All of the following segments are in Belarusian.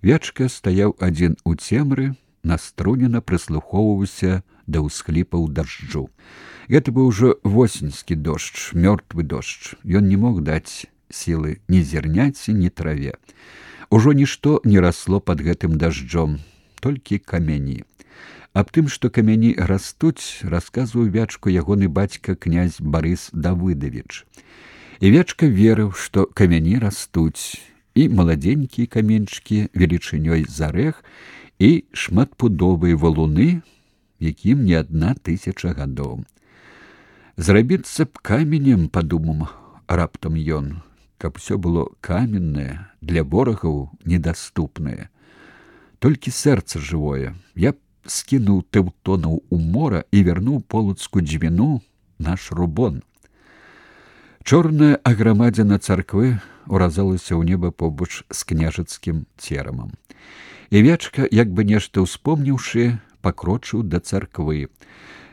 Вячка стаяў адзін у цемры, наструнена прыслухоўваўся да ўсхліпаў дажджу. Гэта быў ужо восеньскі дождж, мёртвы дождж. Ён не мог даць сілы ні зерняці, ні траве. Ужо нішто не расло пад гэтым дажджом, толькі камяні. Аб тым, што камяні растуць, расказваў Вячку ягоны бацька князь Барыс Давыдавіч. І Вячка верыў, што камяні растуць, і маладзенькія каменьчыкі велічынёй з арэх, і шматпудовыя валуны, якім не 1000 гадоў. Зрабіцца б каменем, падумаў раптам ён, каб усё было каменнае, для ворагаў недаступнае. Толькі сэрца жывое. Я б скінуў тэўтонаў у мора і вярнуў полацку дзвіну наш рубон. Чорная аграмадзіна царквы уразалася ў неба побач з княжацкім церамам. І Вячка, як бы нешта ўспомніўшы, пакрочыў да царквы.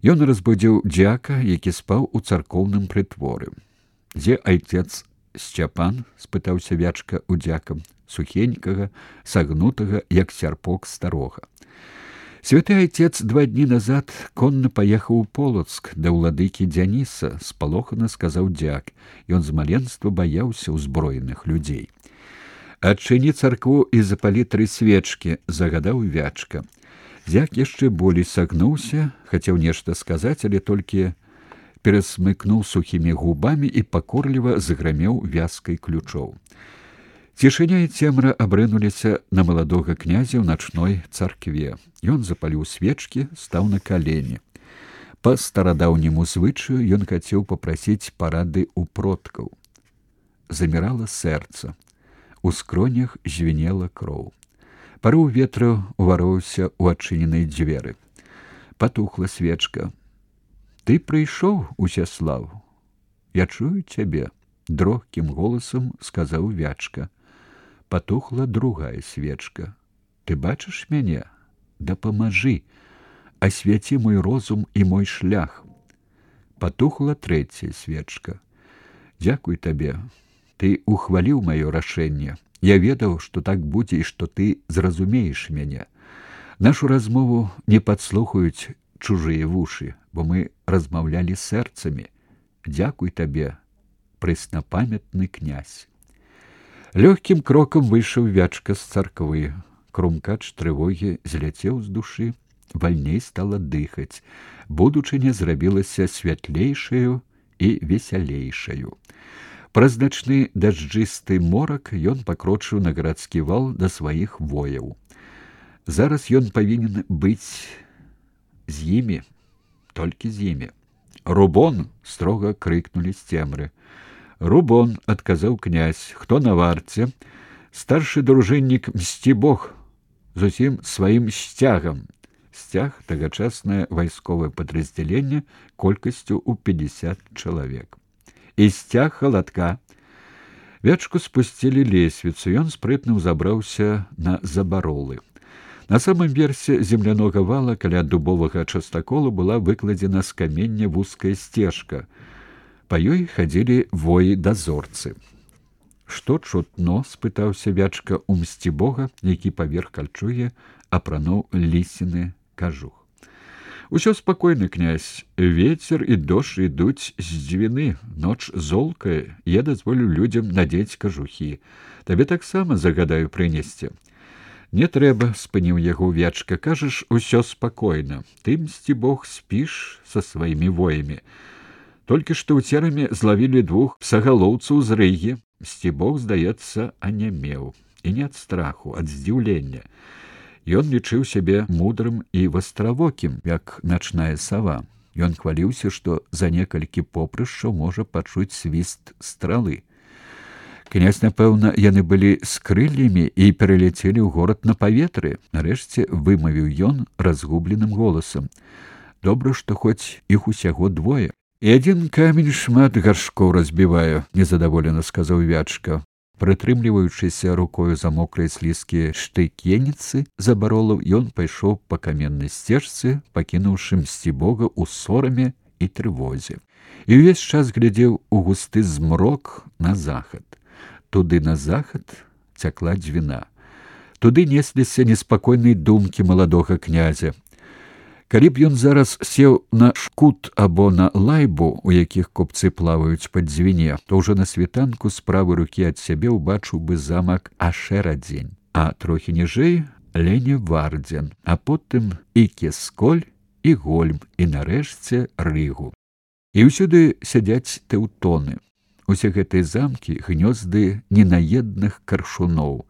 Ён разбудзіў дзяка, які спаў у царкоўным прытворы. «Дзе айцец Сцяпан?» – спытаўся Вячка у дзяка, сухенькага, сагнутага, як сярпок старога. Святы айцец 2 дні назад конна паехаў у Полацк да ўладыкі Дзяніса, спалохана сказаў дзяк. Ён з маленства баяўся ўзброеных людзей. «Адчыні царкву і запалі 3 свечкі», – загадаў Вячка. Дзяк яшчэ болей сагнуўся, хацеў нешта сказаць, але толькі перасмыкнуў сухімі губамі і пакорліва заграмеў вязкай ключоў. Цішыня і цемра абрынуліся на маладога князя ў начной царкве. Ён запаліў свечкі, стаў на калені. Па старадаўняму звычаю ён хацеў папрасіць парады ў продкаў. Замірала сэрца. У скронях звінела кроў. Парыў ветру ўвароўся ў адчыненай дзверы. Патухла свечка. «Ты прыйшоў, Усяслаў? Я чую цябе», – дрогкім голасам сказаў Вячка. Патухла другая свечка. «Ты бачыш мяне? Дапамажы, асвяці мой розум і мой шлях». Патухла трэцяя свечка. «Дзякуй табе, ты ухваліў маё рашэнне. Я ведаў, што так будзе і што ты зразумееш мяне. Нашу размову не падслухаюць чужыя вушы, бо мы размаўлялі сэрцамі. Дзякуй табе, прэснапамятны князь». Лёгкім крокам выйшаў Вячка з царквы. Крумкач трывогі зляцеў з душы, вальней стала дыхаць. Будучыня зрабілася святлейшаю і весялейшаю. Праз начны дажджысты морак ён пакрочыў на гарадскі вал да сваіх вояў. Зараз ён павінен быць з імі, толькі з імі. «Рубон!» – строга крыкнулі з цемры. «Рубон!» – адказаў князь. «Хто на варце?» «Старшы дружыннік Мсцібог з усім сваім сцягам». Сцяг – тагачаснае вайсковае падраздзяленне колькасцю ў 50 чалавек. «І сцяг халадка». Вячку спусцілі лесвіцу, ён спрытна ўзабраўся на забаролы. На самым версе землянога вала каля дубовага частаколу была выкладзена з камення вузкая сцежка. Па ёй хадзілі воі-дазорцы. «Што чутно?» – спытаўся Вячка ў Мсцібога, які паверх кальчугі апрануў лісіны кажух. «Усё спакойна, князь. Вецер і дождж ідуць з дзвіны. Ноч золкая. Я дазволю людзям надзець кажухі. Табе таксама загадаю прынесці». «Не трэба», – спыніў яго Вячка. «Кажаш, усё спакойна. Ты, Мсцібог, спіш са сваімі воямі. Толькі што ў церамі злавілі 2 псагалоўцаў з Рыгі». Мсцібог, здаецца, анямеў. І не ад страху, ад здзіўлення. Ён лічыў сябе мудрым і вастравокім, як начная сава. Ён хваліўся, што за некалькі попрышчаў можа пачуць свіст стралы. Князь, напэўна, яны былі з крыллямі і пераляцелі ў горад на паветры. Нарэшце вымавіў ён разгубленым голасам. «Добра, што хоць іх усяго 2. І адзін камень шмат гаршкоў разбівае», – незадаволена сказаў Вячка. Прытрымліваючыся рукою за мокрай слізкія штыкеніцы забаролаў, ён пайшоў па каменнай сцежцы, пакінуўшы Мсцібога ў сораме і трывозе. І ўвесь час глядзеў у густы змрок на захад. Туды на захад цякла дзвіна. Туды несліся неспакойныя думкі маладога князя. Калі б ён зараз сеў на шкут або на лайбу, у якіх купцы плаваюць пад дзвіне, то ўжо на світанку з правай рукі ад сябе ўбачыў бы замак Ашэрадзень, а трохі ніжэй Леневардзен, а потым і Кесколь, і Гольм, і нарэшце Рыгу. І ўсюды сядзяць тэўтоны. Усе гэтыя замкі гнёзды ненаедных каршуноў.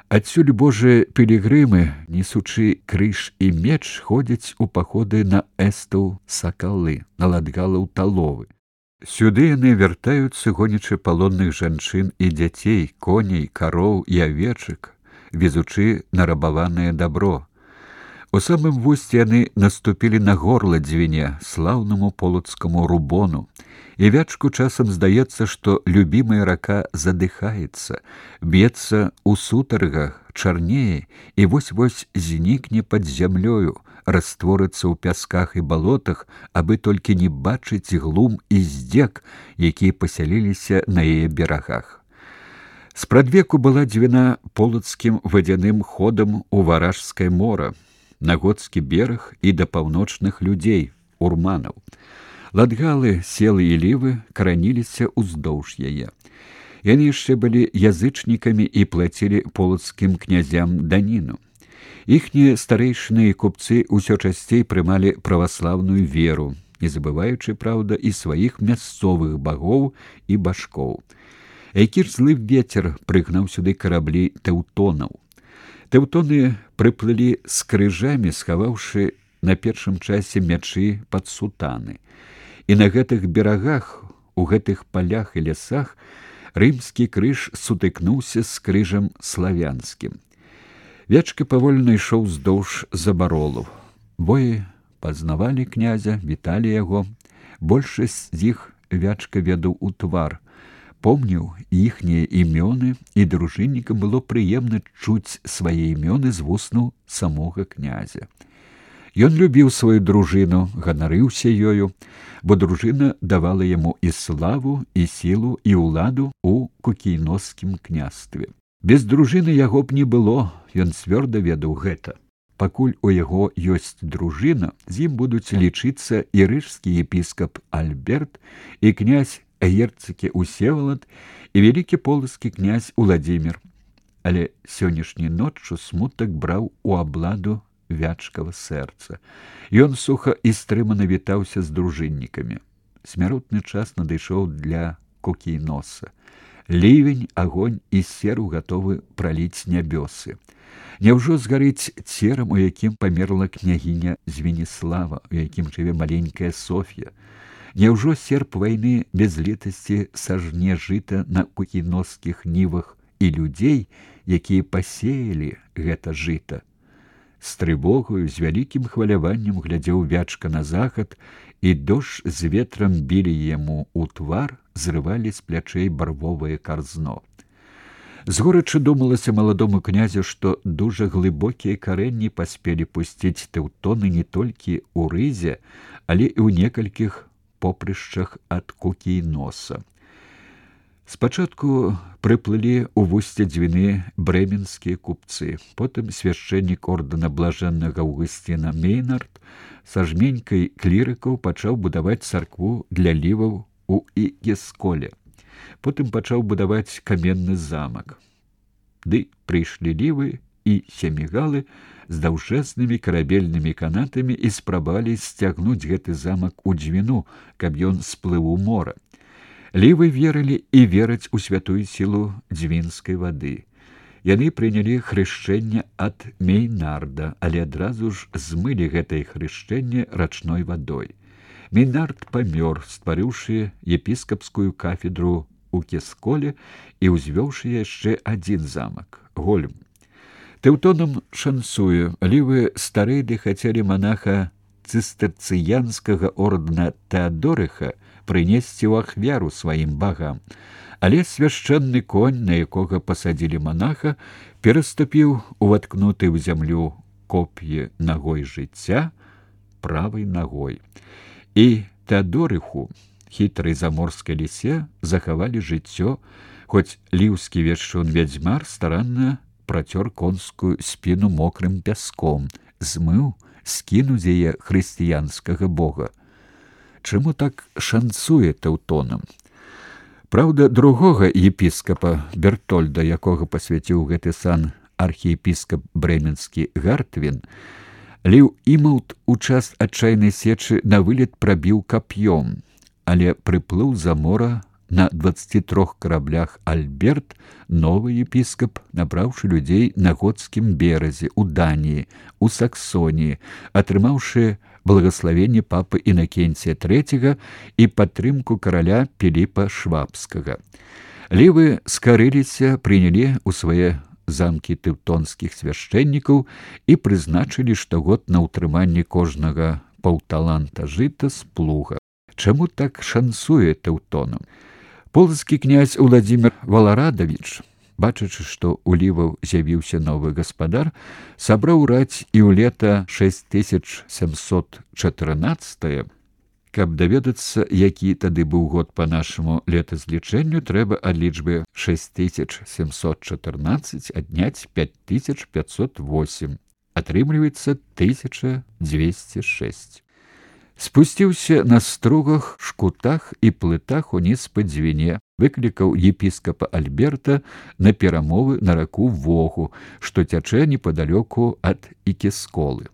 Адсюль божыя пілігрымы, несучы крыж і меч, ходзяць у паходы на эстаў сакалы, на ладгалаў таловы. Сюды яны вяртаюцца, гонячы палонных жанчын і дзяцей, коней, кароў і авечак, везучы нарабаванае дабро. У самым вусці яны наступілі на горла дзвіне, слаўнаму полацкаму рубону. І Вячку часам здаецца, што любімая рака задыхаецца, б'ецца ў сутаргах, чарнее і вось-вось знікне пад зямлёю, растворыцца ў пясках і балотах, абы толькі не бачыць глум і здзек, якія пасяліліся на яе берагах. Спрадвеку была дзвіна полацкім вадзяным ходам у Варажскае мора, на Готскі бераг і да паўночных людзей, урманаў. Ладгалы, селы і лівы караніліся ўздоўж яе. Яны яшчэ былі язычнікамі і плацілі полацкім князям даніну. Іхнія старэйшыны і купцы ўсё часцей прымалі праваслаўную веру, не забываючы, праўда, і сваіх мясцовых багоў і башкоў. Які ж злы вецер прыгнаў сюды караблі тэўтонаў. Тэўтоны прыплылі з крыжамі, схаваўшы на першым часе мячы пад сутаны. І на гэтых берагах, у гэтых палях і лясах рымскі крыж сутыкнуўся з крыжам славянскім. Вячка павольна ішоў уздоўж забаролаў. Воі пазнавалі князя, віталі яго. Большасць з іх Вячка ведаў у твар. Помніў іхнія імёны, і дружыннікам было прыемна чуць свае імёны з вуснаў самога князя. Ён любіў сваю дружыну, ганарыўся ёю, бо дружына давала яму і славу, і сілу, і ўладу ў Кукійноскім княстве. Без дружыны яго б не было, ён цвёрда ведаў гэта. Пакуль у яго ёсць дружына, з ім будуць лічыцца і рыжскі епіскап Альберт, і князь герцагі Усевалад, і вялікі полацкі князь Уладзімір. Але сённяшняй ноччу смутак браў у абладу Вячкава сэрца. Ён суха і стрымана вітаўся з дружыннікамі. Смяротны час надышоў для Кукійноса. Лівень, агонь і серу гатовы праліць нябёсы. Няўжо згарыць церам, у якім памерла княгіня Звеніслава, у якім жыве маленькая Соф'я? Няўжо серп вайны без летасці сажне жыта на кукійноскіх нівах і людзей, якія пасеялі гэта жыта? З трывогаю, з вялікім хваляваннем глядзеў Вячка на захад, і дождж з ветрам білі яму ў твар, зрывалі з плячэй барвовае карзно. Згорача думалася маладому князю, што дужа глыбокія карэнні паспелі пусціць тэўтоны не толькі ў Рызе, але і ў некалькіх попрышчах ад Кукійноса. Спачатку прыплылі ў вусце дзвіны брэменскія купцы, потым свяшчэннік ордэна блажэннага Аўгусціна Мейнард са жменькай клірыкаў пачаў будаваць царкву для ліваў у Ікесколе. Потым пачаў будаваць каменны замак. Ды прыйшлі лівы і семігалы з даўжэзнымі карабельнымі канатамі і спрабавалі сцягнуць гэты замак у дзвіну, каб ён сплыў у мора. Лівы верылі і вераць у святую сілу дзвінскай вады. Яны прынялі хрышчэнне ад Мейнарда, але адразу ж змылі гэтае хрышчэнне рачной вадой. Мейнард памёр, стварыўшы епіскапскую кафедру у Кесколе і ўзвёўшы яшчэ адзін замак — Гольм. Тэўтонам шанцуе, лівы старэйды хацелі манаха цыстэрцыянскага ордэна Тэадорыха прынесці ў ахвяру сваім багам, але свяшчэнны конь, на якога пасадзілі манаха, пераступіў уваткнуты ў зямлю коп'е нагой жыцця правай нагой. І Тэадорыху, хітрай заморскай лісе, захавалі жыццё, хоць ліўскі вешчун-вядзьмар старанна працёр конскую спіну мокрым пяском, змыў, скінуў з яе хрысціянскага бога. Чаму так шанцуе Тэўтонам? Праўда, другога епіскапа Бертольда, якога пасвяціў гэты сан архіепіскап брэменскі Гартвін, Ліў Імаўт у час адчайнай сечы на вылет прабіў кап'ём, але прыплыў за мора на 23 караблях Альберт, новы епіскап, набраўшы людзей на готскім беразе, у Даніі, у Саксоніі, атрымаўшы благаславенне папы Інакенція III і падтрымку караля Піліпа Швабскага. Лівы скарыліся, прынялі ў свае замкі тэўтонскіх свяшчэннікаў і прызначылі штогод на ўтрыманне кожнага паўталанта жыта з плуга. Чаму так шанцуе Тэўтонам? Полацкі князь Уладзімір Валарадавіч, бачачы, што ў ліваў з'явіўся новы гаспадар, сабраў раць і ў лета 6714, каб даведацца, які тады быў год па нашаму летазлічэнню, трэба ад лічбы 6714 адняць 5508. Атрымліваецца 1206. Спусціўся на стругах, шкутах і плытах уніз па дзвіне, выклікаў епіскапа Альберта на перамовы на раку Вогу, што цячэ непадалёку ад Ікесколы.